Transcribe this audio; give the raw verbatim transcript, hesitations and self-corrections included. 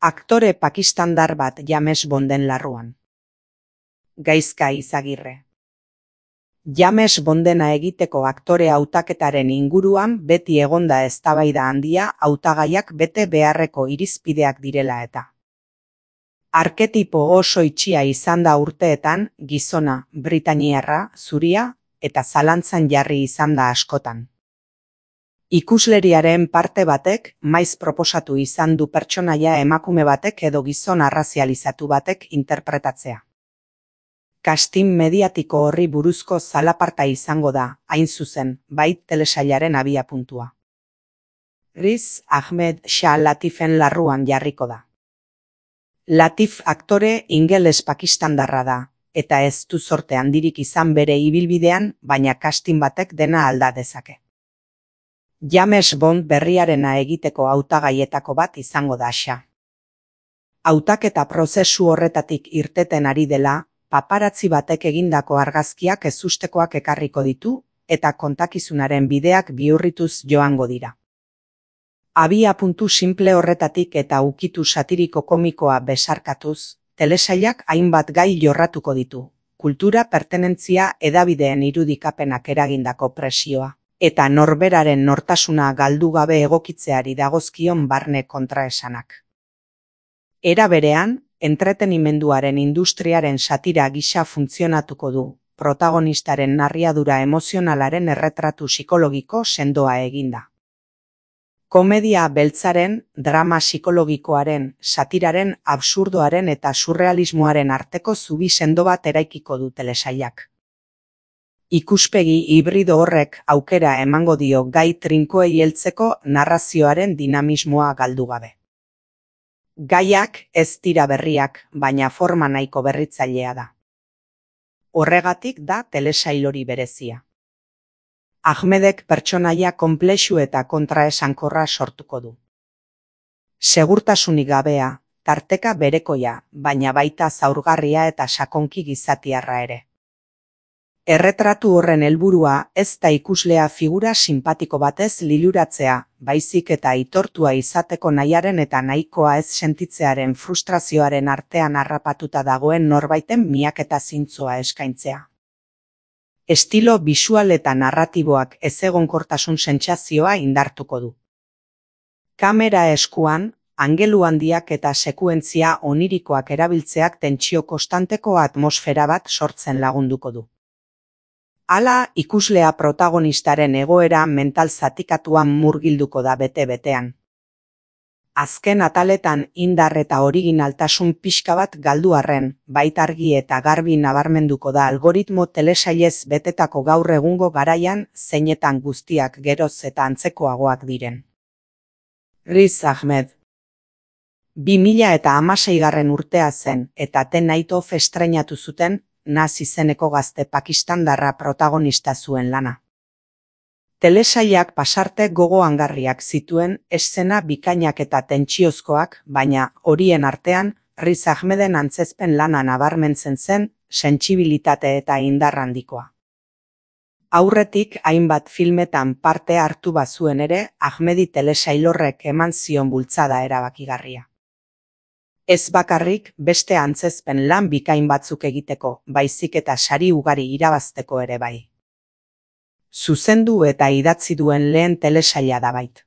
Aktore pakistandar bat James Bonden larruan. Gaizka Izagirre. James Bondena egiteko aktore hautaketaren inguruan beti egonda eztabaida handia hautagaiak bete beharreko irizpideak direla eta. Arketipo oso itxia izan da urteetan, gizona, britainiarra, zuria, eta zalantzan jarri izan da askotan. Ikusleriaren parte batek maiz proposatu izan du pertsonaia emakume batek edo gizon arrazializatu batek interpretatzea. Casting mediatiko horri buruzko zalaparta izango da, hain zuzen, bai telesailaren abiapuntua. Riz Ahmed Shah Latifen larruan jarriko da. Latif aktore ingeles pakistandarra da, eta ez du zorte handirik izan bere ibilbidean, baina casting batek dena alda dezake. James Bond berriarena egiteko hautagaietako bat izango da Shah. Hautaketa prozesu horretatik irteten ari dela, paparazzi batek egindako argazkiak ezustekoak ekarriko ditu, eta kontakizunaren bideak bihurrituz joango dira. Abiapuntu simple horretatik eta ukitu satiriko komikoa besarkatuz, telesailak hainbat gai jorratuko ditu, kultura pertenentzia hedabideen irudikapenak eragindako presioa, eta norberaren nortasuna galdu gabe egokitzeari dagozkion barne kontraesanak. Era berean, entretenimenduaren industriaren satira gisa funtzionatuko du, protagonistaren narriadura emozionalaren erretratu psikologiko sendoa eginda. Komedia beltzaren, drama psikologikoaren, satiraren, absurdoaren eta surrealismoaren arteko zubi sendo bat eraikiko du telesailak. Ikuspegi hibrido horrek aukera emango dio gai trinkoei heltzeko narrazioaren dinamismoa galdu gabe. Gaiak ez dira berriak, baina forma nahiko berritzailea da. Horregatik da telesail hori berezia. Ahmedek pertsonaia konplexu eta kontraesankorra sortuko du. Segurtasunik gabea, tarteka berekoia, baina baita zaurgarria eta sakonki gizatiarra ere. Erretratu horren helburua ez da ikuslea figura sinpatiko batez liluratzea, baizik eta aitortua izateko nahiaren eta nahikoa ez sentitzearen frustrazioaren artean harrapatuta dagoen norbaiten miaketa zintzoa eskaintzea. Estilo bisual eta narratiboak ezegonkortasun sentsazioa indartuko du. Kamera eskuan, angelu handiak eta sekuentzia onirikoak erabiltzeak tentsio konstanteko atmosfera bat sortzen lagunduko du. Hala, ikuslea protagonistaren egoera mental zatikatuan murgilduko da bete-betean. Azken ataletan indar eta originaltasun pixka bat galdu arren, baita argi eta garbi nabarmenduko da algoritmo telesailez betetako gaur egungo garaian zeinetan guztiak geroz eta antzekoagoak diren. Riz Ahmed. bi mila eta hamaseigarren urtea zen eta The Night of estreinatu zuten, Naz izeneko gazte pakistandarra protagonista zuen lana. Telesailak pasarte gogoangarriak zituen eszena bikainak eta tentsiozkoak, baina horien artean Riz Ahmeden antzezpen lana nabarmentzen zen, sentsibilitate eta indar handikoa. Aurretik hainbat filmetan parte hartu bazuen ere, Ahmedi telesail horrek eman zion bultzada erabakigarria. Ez bakarrik beste antzezpen lan bikain batzuk egiteko, baizik eta sari ugari irabazteko ere bai. Zuzendu eta idatzi duen lehen telesaila da bait.